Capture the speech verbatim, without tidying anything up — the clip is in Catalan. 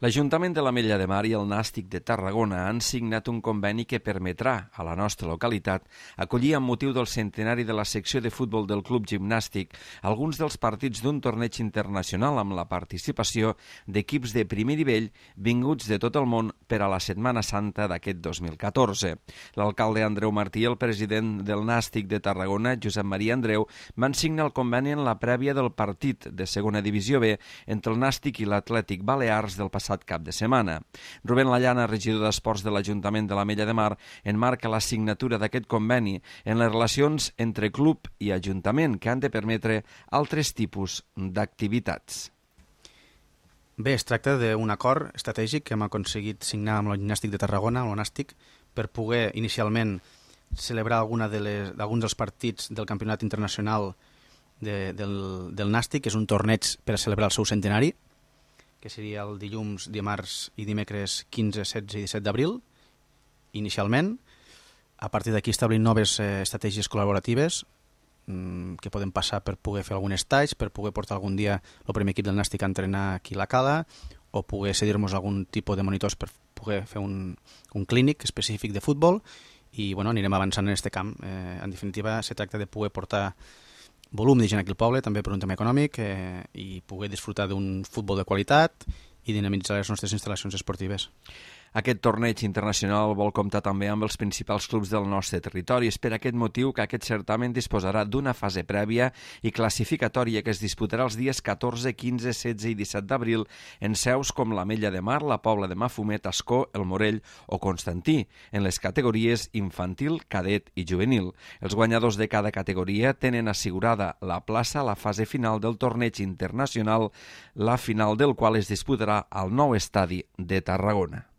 L'Ajuntament de l'Ametlla de Mar i el Nàstic de Tarragona han signat un conveni que permetrà a la nostra localitat acollir amb motiu del centenari de la secció de futbol del Club Gimnàstic alguns dels partits d'un torneig internacional amb la participació d'equips de primer nivell vinguts de tot el món per a la Setmana Santa d'aquest dos mil catorze. L'alcalde Andreu Martí i el president del Nàstic de Tarragona, Josep Maria Andreu, van signar el conveni en la prèvia del partit de segona divisió B entre el Nàstic i l'Atlètic Balears del passat cap de setmana. Rubén Lallana, regidor d'Esports de l'Ajuntament de l'Ametlla de Mar, enmarca la signatura d'aquest conveni en les relacions entre club i ajuntament que han de permetre altres tipus d'activitats. Bé, es tracta d'un acord estratègic que hem aconseguit signar amb el Gimnàstic de Tarragona, amb el Nàstic, per poder inicialment celebrar alguna de les, d'alguns dels partits del Campionat Internacional de, del, del Nàstic, que és un torneig per a celebrar el seu centenari, que seria el dilluns, dimarts i dimecres quinze, setze i disset d'abril, inicialment. A partir d'aquí establim noves eh, estratègies col·laboratives mmm, que poden passar per poder fer algun estatge, per poder portar algun dia el primer equip del Nàstic a entrenar aquí a la Cala, o poder cedir-nos algun tipus de monitors per poder fer un, un clínic específic de futbol, i bueno, anirem avançant en aquest camp. Eh, en definitiva, se tracta de poder portar volum de gent aquí al poble, també per un tema econòmic, eh, i poder disfrutar d'un futbol de qualitat i dinamitzar les nostres instal·lacions esportives. Aquest torneig internacional vol comptar també amb els principals clubs del nostre territori. És per aquest motiu que aquest certamen disposarà d'una fase prèvia i classificatòria que es disputarà els dies catorze, quinze, setze i disset d'abril en seus com l'Ametlla de Mar, la Pobla de Mafumet, Ascó, el Morell o Constantí, en les categories infantil, cadet i juvenil. Els guanyadors de cada categoria tenen assegurada la plaça a la fase final del torneig internacional, la final del qual es disputarà al nou estadi de Tarragona.